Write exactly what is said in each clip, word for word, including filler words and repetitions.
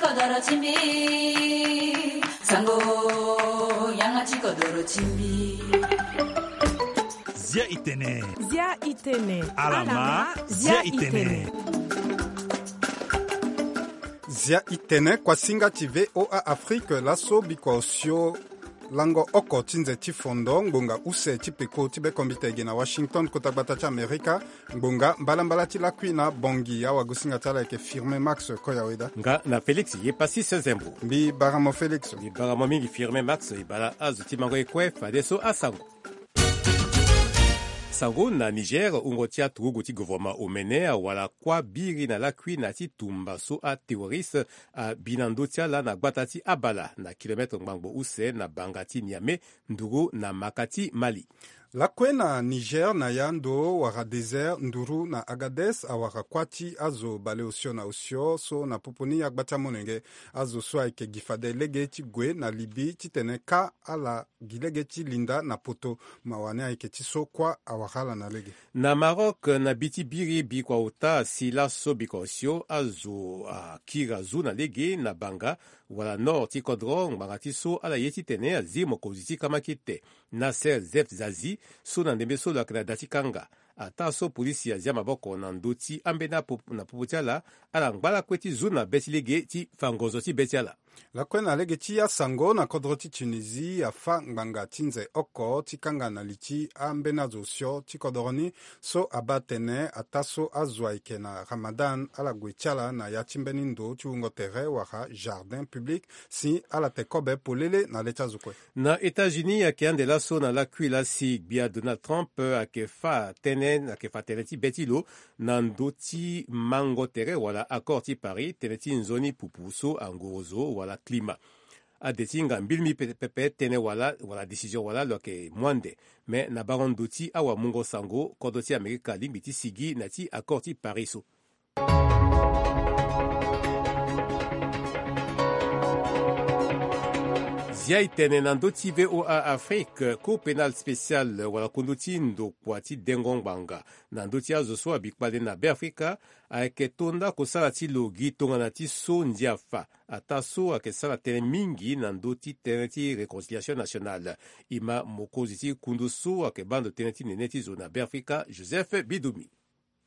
Kodoro ti mbi, sango, yanga ti kodoro ti mbi. Zia i tene. Zia i tene. Alama, zia i tene. Zia i tene, kuasinga ti V O A Afrique, laso bikua osio lango oko ti nze ti fondo ngbonga use ti peko ti bekombite ge na Washington, kota gbata ti Amerika. Ngbonga mbalambala ti lakui na Bangui, awagosinga ti ala ayeke Firmin Max Koyaweda. Nga na Félix Yepasi Sezembo. Mbi bara mo Félix. Mbi bara mo mingi Firmin Max, e bara azo ti mango ye kue fadeso asango. Sango na Niger, wungo ti aturugu ti gouvernement omene awara kuâ biri na lakui na ya ti tumba so aterroriste abi na ndö ti ala na gbata ti Abala, na kilomètre ngbangbo use na banga ti Niamey, nduru na maka ti Mali. Lakue na Niger, na ya ndo wara désert nduru na Agadez, awara kuâ ti azo baleosio na osio so na popo ni agba ti amolenge. Azo so ayeke gi fade lege ti gue na Libye titene kâ ala gi lege ti linda na poto. Mawa ni ayeke ti so kuâ awara ala na lege. Na Maroc, na bi ti biri bikua ota asi laso bikua osio azo akiri azu na lege na banga wala nord ti kodro ngbanga ti so ala ye titene azi mokonzi ti kamakite, Nasser Zef Zazi, so na ndembe so lo yeke na da ti kanga. Ataa so polisi azia maboko na ndö ti ambeni apo na popo ti ala, ala ngba lakue ti zu na be ti lege ti fa ngonzo ti be ti ala. Lakue na lege ti asango, na kodro ti Tunisie afâ ngbanga ti nze oko ti kanga na li ti ambeni azo osio ti kodro ni, so abaa tene ataa so azo ayeke na Ramadan ala gue ti ala na ya ti mbeni ndo ti wungo tere wala jardin public, si ala te kobe polele na le ti azo kue. Na États-Unis ayeke ande laso na lakui laa si gbia Donald Trump ayeke fâ tënë, ayeke fa tënë ti be ti lo na ndö ti mango tere wala accord ti Paris, tënë ti nzoni pupu so angorozo wala climat. Ade ti hinga mbilimbili pe- pepe tënë wala, wala décision wala lo yeke mu ande. Me na bango ndö ti awamungo sango, kodro ti Amerika alingbi ti sigi na ya ti accord ti Paris so. Zia e tene na ndö ti V O A Afrique, Cour pénale spéciale wala kundu ti ndokua ti dengo ngbanga na ndö ti azo so abi kpale na Beafrika ayeke to nda kosala ti lo gi tongana ti so ndia fa. Ataa so ayeke sara tënë mingi na ndö ti tënë ti réconciliation nationale. E ma mokonzi ti kundu so ayeke baa ndo tënë ti nene ti zo na Beafrika, Joseph Bidumi.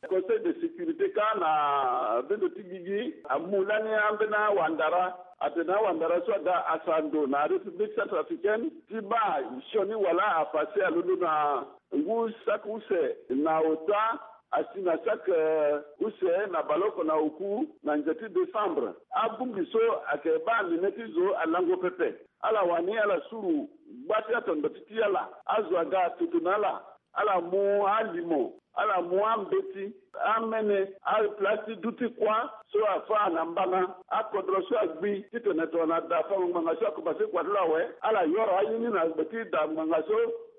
Conseil de sécurité kâ na bendo ti gigi amu lani ambeni awandara, atene awandara so aga asara ndo na République centrafricaine ti baa sioni wala afase alondo na ngu saki use na ota, asi na saki, eh, use na baleoko na oku na nze ti décembre. Abongbi so ayeke baa nene ti zo alango pepe. Ala wani ala suru gba ti atondo ti ti ala. Azo aga toto na ala. Ala mu alimo, ala mu ambeti, amene, aplace ti duti kuâ so afâ na mbana. Akodro so agbi titene tongana da fango ngbanga so akomanse kua ti lo awe, ala yoro aye ni na gbe ti da ngbanga so,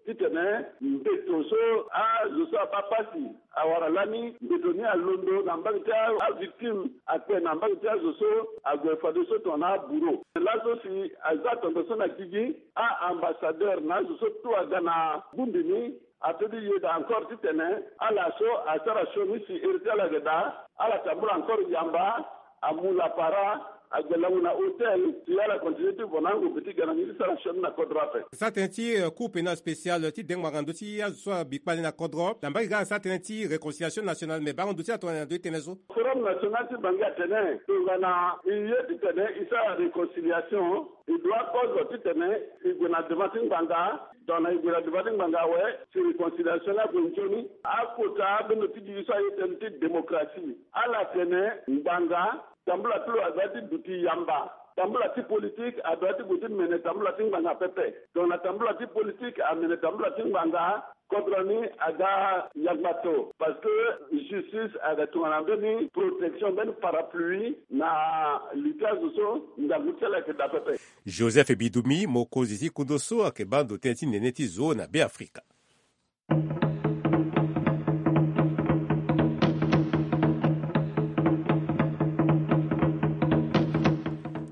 titene mbeto so azo so abaa pasi awara lani, mbeto ni alondo na mbage ti a- avictime akpe na mbage ti azo so ague fadeso tongana aburo. Laso si aza atondo so na gigi, a-ambassadeur na azo so tout aga na bongbi ni, ato ti yeda encore titene ala so asara sioni si iri ti ala yeke daa, ala tambula encore yamba, amu lapara, ague lango na hôtel si ala continue ti vo na angombe ti ga na ni ti sara sioni na kodro ape. Sara tënë ti, eh, Cour pénale spéciale ti dengo ngbanga na ndö ti azo so abi kpale na kodro, na mbage ga asara tënë ti réconciliation nationale, me bango ndo ti ala tongana na ndö ti tënë so. Forum national ti Bangui atene tongana e ye titene e sara réconciliation, e doit kozo titene e gue na devant ti ngbanga. Tongana e gue na devant ti ngbanga awe, si réconciliation ni ague nzoni, akota abendo ti gigi so aye tënë ti démocratie, ala tene ngbanga, tambula ti lo adoit ti duti yamba. Tambula ti politique adoit ti gue ti mene tambula ti ngbanga pepe. Tongana tambula ti politique amene tambula ti ngbanga, kodro ni aga yangbato, parce que justice aga tongana mbeni protection, mbeni parapluie na li ti azo so ngangu ti ala ayeke daa pepe. Joseph Bidumi, mokonzi ti kundu so ayeke baa ndo tënë ti nene ti zo na Beafrika.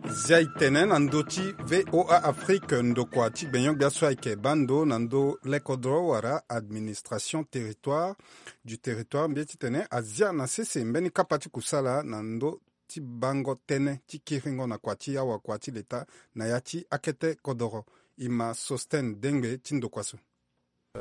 Zia e tene na ndö ti V O A Afrique, ndokua ti gbenyo-gbia so ayeke baa ndo na ndö lekodro wala administration territoire, du territoire, mbi ye titene azia na sese mbeni kapa ti kusala na ndö ti bango tënë ti kiringo na kua ti awakua ti leta na ya ti akete kodoro. E ma Sostène Dengbe ti ndokua so.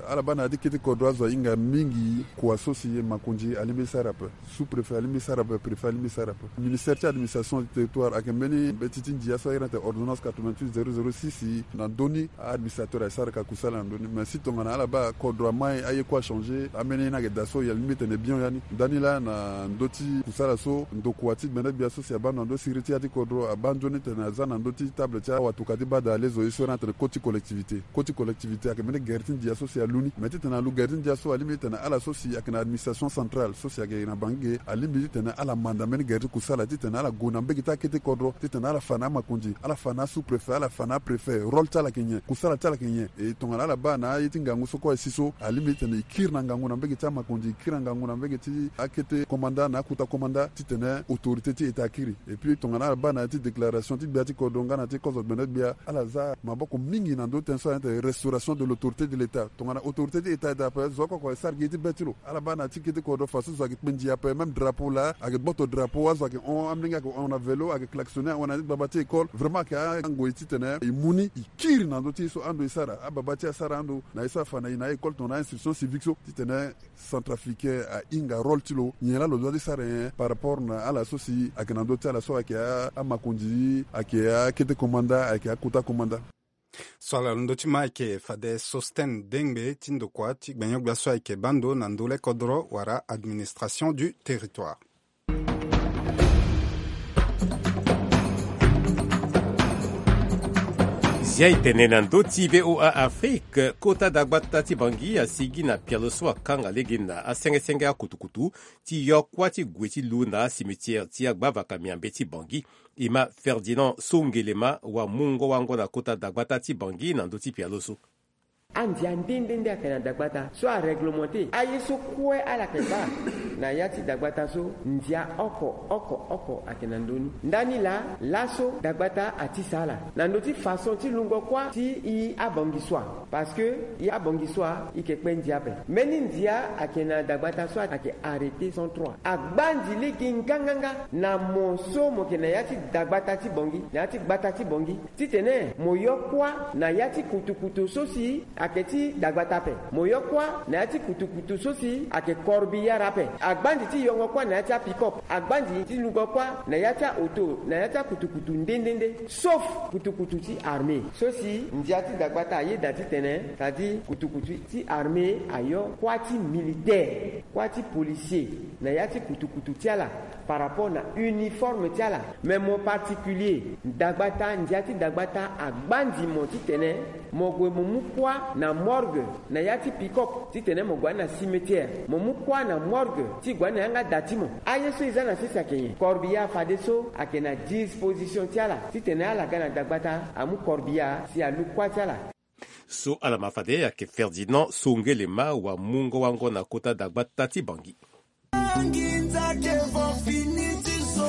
Ala baa na ya ti kete kodro azo ahinga mingi kua so si makonzi alingbi e sara ape. Sous-préfet alingbi e sara ape, préfet alingbi e sara ape. Ministère ti administration du territoire ayeke mbeni mbeti ti ndia so ayeke na tene ordonnance quatre-vingt-huit zéro zéro six. Na ndö ni a-administrateur asara ka kusala na ndö ni. Mais si tongana ala baa kodro amai aye kue achangé, ambeni ye ni ayeke daa so, e alingbi tene bien ya ni. Ndani laa na ndö ti kusala so, ndokua ti gbene gbia so si abaa ndo na ndö siriri ti ya ti kodro abaa nzoni tene aza na ndö ti table ti awatuka ti baa daa lezo ye so ayeke na tene koti collectivité. Koti collectivité ayeke mbeni gere ti ndia so si alu ni. Mais titene alu gere ti ndia so, alingbi titene ala so si ayeke na administration centrale so si ayeke na Bangui ge, alingbi titene ala manda mbeni gere ti kusala titene ala gue na mbege ti akete kodro, titene ala fa na amakonzi, ala fa na asous-préfet, ala fa na apréfet, rôle ti ala ayeke nyen, kusala ti ala ayeke nyen. E tongana ala baa na aye ti ngangu so kue asi so, alingbi titene e kiri na ngangu na mbege ti amakonzi, e kiri na ngangu na mbege ti akete komanda na akuta komanda, titene autorité ti État akiri. Et puis tongana ala baa na ya ti déclaration ti gbia ti kodro nga na ti kozo gbene gbia, ala za maboko mingi na ndö ti tënë so ayeke restauration de l'autorité de l'État. Tongana autorité ti État e daa ape, zo oko oko e sara gi ye ti be ti lo. Ala baa na ya ti kete kodro fadeso zo ayeke kpe ndia ape, même drapeau laa ayeke gboto drapeau, azo ayeke hon, amolenge ayeke hon na vélo, ayeke klaxonné, ahon na ya ti gbagba ti école. Vraiment ayeke angoi titene e mu ni, e kiri na ndö ti ye so ando e sara, ababa ti e asara ando na ye so afa na e na a-école tongana a-instruction civique so, titene centrafricain ahinga rôle ti lo, nyen laa lo doit ti sara nyen par rapport na ala so si ayeke na ndö ti ala so ayeke a, amakonzi, ayeke akete komanda, ayeke akota komanda. So ala londo ti ma ayeke fade Sostène Dengbe ti ndokua ti gbenyo-gbia so ayeke baa ndo na ndö le kodro wala administration du territoire. Zia e tene na ndö ti V O A Afrique, kota dagbata ti Bangui asigi na pialo so akanga lege na asengesenge akutukutu ti yo kuâ ti gue ti lu na acimetière ti agbavaka miambe ti Bangui. E ma Ferdinand Songelema wamungo-wango na kota dagbata ti Bangui na ndö ti pialo so. Andia nde nde nde ayeke na dagbata so aréglementé aye so kue ala yeke baa na ya ti dagbata so. Ndia oko oko oko ayeke na ndö ni. Ndani laa, laso dagbata atisa ala na ndö ti façon ti lungo kuâ ti e abangui so a. Parce que e abangui so a e yeke kpe ndia ape. Mbeni ndia ayeke na dagbata so ayeke arrêté cent trois. Agbanzi lege nganganga na mo so mo yeke na ya ti dagbata ti Bangui, na ya ti gbata ti Bangui, titene mo yo kuâ na ya ti kutukutu so si ayeke ti dagbata ape. Mo yo kuâ na ya ti kutukutu so si ayeke corbillard ape. Agbanzi ti yongo kuâ na ya ti apick-up. Agbanzi ti lungo kuâ na ya ti aoto, na ya ti akutukutu nde nde nde, sauf kutukutu ti armée. So si ndia ti dagbata ayeda titene, c'est-à-dire kutukutu ti armée ayo kuâ ti militaire, kuâ ti policier na ya ti kutukutu ti ala par rapport na uniforme ti ala. Mais mo particulier, dagbata, ndia ti dagbata agbanzi mo titene mo gue mo mu kuâ na morgue, na ya ti pick-up, titene mo gue na cimetière, mo mu kuâ na morgue ti gue na yanga da ti mo. Aye so e za na sese ayeke nyen? Corbillard fadeso ayeke na disposition ti ala titene ala ga na dagbata amu corbillard si alu kuâ ti ala. So ala ma fade ayeke Ferdinand Songelema wamungo-wango na kota dagbata ti Bangui. Nginza ke vo fini ti zo.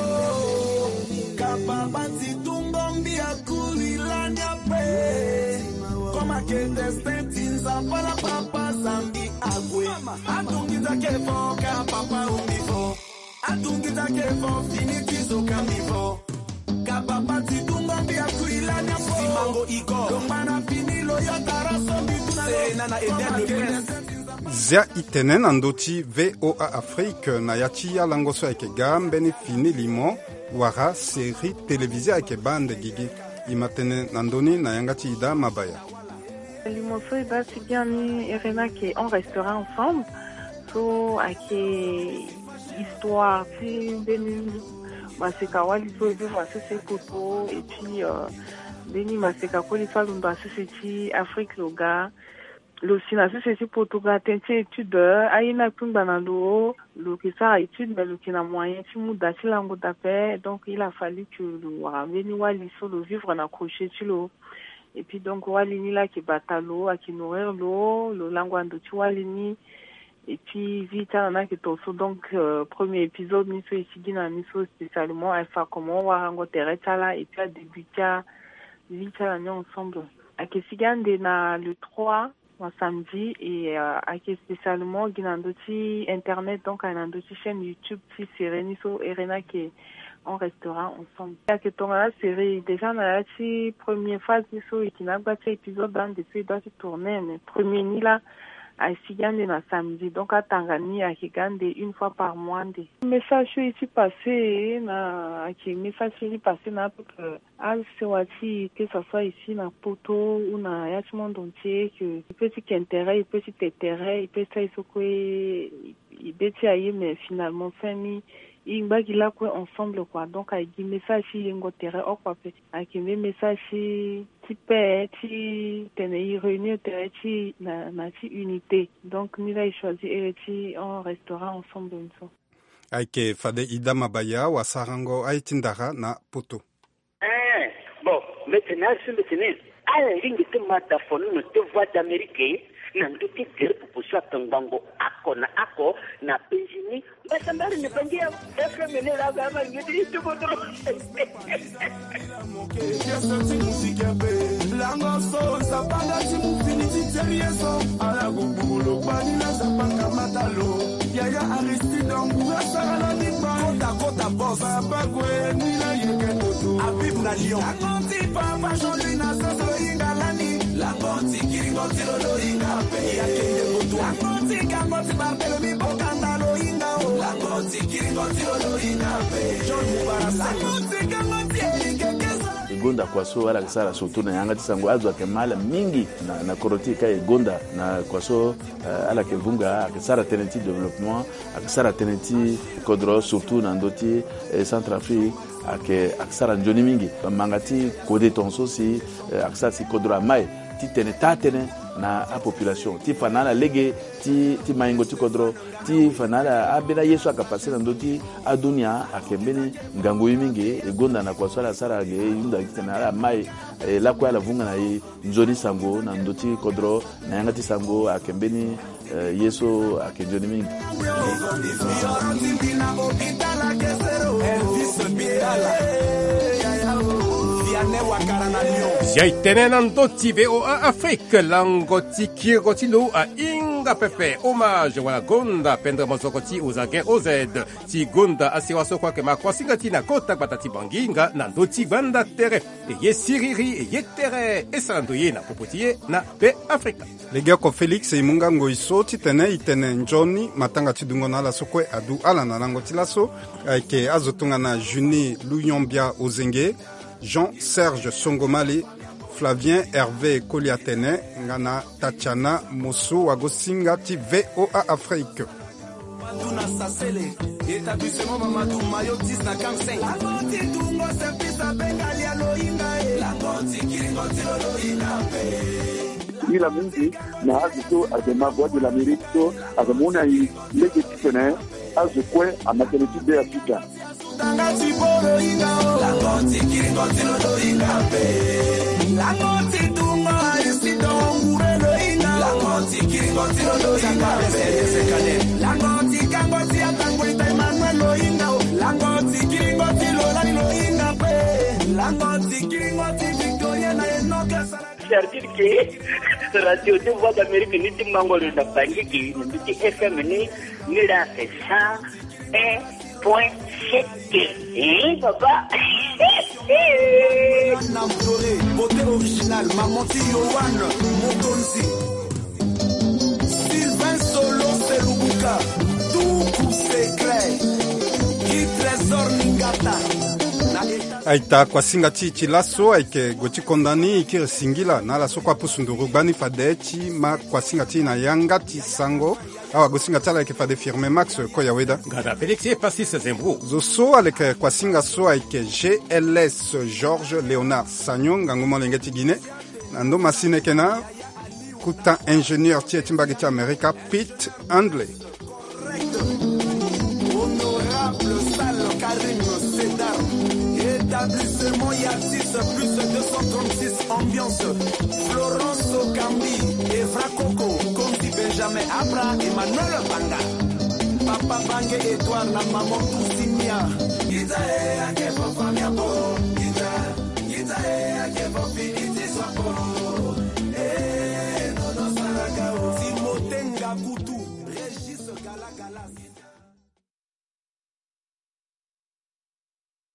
Kapapa ti tungo mbi akuri lani ape. Koma ke destin ti nzapa la papa zambi ague. Atungi nza ke vo kapapa umbi vo. Atungi nza ke vo fini ti zo kambi vo. Kapapa ti tungo mbi akuri lani ape. Simango igo. Longba na fini lo yo tara so mbi tuna lo. Serena na Eden le Prince. Zia e tene na ndö ti V O A Afrique na ya ti alango so ayeke ga mbeni fini limo wala série télévisée ayeke baa ande gigi. E ma tene na ndö ni na yanga ti Ida Mabaya. Limo so e baa ti biani e re ni ayeke On restera ensemble. So ayeke histoire ti mbeni maseka wali so e vivre na sese poto et puis, euh, mbeni maseka koli so alondo na sese ti Afrique lo ga. Lo si na sese ti poto ga tënë ti étude, aye ni akpingba na lo, lo yeke sara étude, mais lo yeke na moyen ti mu da ti lango da ape. Donc il a fallu que lo wara mbeni wali so lo vivre na crochet ti lo. Et puis donc wali ni laa ayeke bata lo, ayeke nourrir lo, lo lango na ndo ti wali ni. Et puis vie ti ala ni ayeke to so. Donc, euh, premier épisode ni so e sigi na ni so spécialement, ayeke fa comment warango tere ti ala et puis adébut ti avi ti ala ni ensemble. Ayeke sigi ande na le trois, na samedi, et, euh, ayeke spécialement gi na ndö ti internet, donc ayeke na ndö ti chaîne YouTube ti série ni so e re ni ayeke on restera ensemble. Ayeke tongana asérie déjà na ya ti première phase ni so e yeke na agba ti épisode ande so e doit ti tourner, mais premier ni laa asi gi ande na samedi, donc atanga ni ayeke gi ande une fois par mois ande. Message so e ti passé na ayeke message so e ti passé na apeuple asewa ti e, que ça soit ici na Poto ou na ya ti monde entier, que e peut ti ke tere, e peut ti te tere, e peut sara e so kue e be ti aye, mais finalement fin ni e ngba gi lakue ensemble quoi. Donc ayeke gi message ti yengo tere oko ape, ayeke mbe message ti ti paix, ti tene e réunir tere ti e na, na ti unité. Donc ni laa e choisir ere ti on restera ensemble ni so. Ayeke fade Ida Mabaya wasarango aye ti ndara na Poto. Eh, bon, mbi tene asi mbi tene ala lingbi ti ma da fo nono ti Voix d'Amérique na ndö ti gere popo so atongbango oko na oko na penzi ni. Mbasambari ni bangi ya F M ni la ga ma ngeti ti bodo. Lango so zapanga ti mu fini ti terie so ala gugulo bani na zapanga matalo. Yaya Aristide Angoura sara la ni kpa. Kota, kota, boss. Papa Kwe ni na yeke toto. Habib na Lyon. Lango ti Papa Jean-Louis na soso hinga lani. Lango ti kiringo ti lo lo hinga pe. Ya kende boto. Lango ti kango ti Barthélemy Bokanda lo hinga o. Lango ti kiringo ti lo lo hinga pe. John Mubarak. Lango ti kango ti Eric Kesa. E gonda kua so ala yeke sara surtout na yanga ti sango azo ayeke ma ala mingi na, na kodro ti e ka e gonda na kua so, eh, ala yeke vunga, ayeke sara tënë ti développement, ayeke sara tënë ti kodro surtout na ndö ti, eh, Centrafrique, ayeke, ayeke sara nzoni mingi. Bamanga ti kode tongaso si, eh, ayeke sara si kodro amai ti tene taa tënë na apopulation ti fa na ala lege ti, ti maingo ti kodro, ti fa na ala ambeni aye so ayeke pase na ndö ti adunia ayeke mbeni ngangu ye mingi. E gonda na kua so ala sara ge e hunda gi titene ala mai, eh, lakue ala vunga na e nzoni sango na ndö ti kodro na yanga ti sango ayeke mbeni, eh, ye so ayeke nzoni mingi. Elvis Mbitala. Vianney Wakara na Lyon. Zia e tene na ndö ti V O A Afrique, lango ti kiringo ti lo ahinga pepe. Hommage wala gonda pendre mozoko ti Ozagen O Z ti gonda asewa so kue ayeke ma kuasinga ti e na kota gbata ti Bangui nga na ndö ti gbanda tere. E ye siriri, e ye tere, e sara ndo ye na popo ti e na Be Afrika. Legeoko Félix e mu nga ngoi so titene e tene nzoni matanga ti dungo na ala so kue adu ala na lango ti laso. Ayeke azo tongana Junie Luyombia Ozenge, Jean Serge Songomali, Flavien Hervé Koliatene nga na Tatiana Mosso, wagosinga ti V O A Afrique. Mamadou na Sasele, établissement Mamadou, maillot dix na quarante-cinq. Lango ti dungo service abenga lia loinga e. Lango ti kiringo ti lo loinga pe. Ila mingi na azo so ayeke ma Voix de l'Amérique so ayeke mu na e lege titene azo kue ama tënë ti Be Afrika. Tanga ti bo lo hinga o. Lango ti kiringo ti lo lo hinga pe. Lango ti dungo Aristide Ngure lo hinga o. Lango ti kiringo ti lo lo hinga pe. Lango ti kango ti atango ita Emmanuel lo hinga o. Lango ti kiringo ti lo lani lo hinga pe. Lango ti kiringo ti Victorien na Enoch Sala. C'est-à-dire que radio de Voix d'Amérique ni ti mango lo na Bangui ke ni ti F M ni, ni la ke cent un point sept. Hein, papa? Namtore, beauté originale, maman ti Yohan Mokonzi, Sylvain Solo Selubuka, Tuku Secret, Guy Trésor Ningata. Na eta. Aita kuasinga ti e ti laso ayeke gue ti konda ni e kiri singila na ala so kue apusu nduru gbani fade ti ma kuasinga ti e na yanga ti sango. Awagosinga ti ala ayeke fade Firme Max Koyaweda. Gada Félix e Pastis Zembro. Zo so aleke kuasinga so ayeke G L S Georges Léonard Sagnon, ngangu molenge ti Guinée. Na ndo masine yeke na kuta ingénieur ti e ti mbage ti Amerika, Pete Handley. Honorable Sal Karim Sedar, établissement Yatis plus deux cent trente-six ambiance, Florence Okambi, Evra Coco, Konzi Benjamin Abra, Emmanuel Banga, Papa Bange Edouard na Maman Tousimia.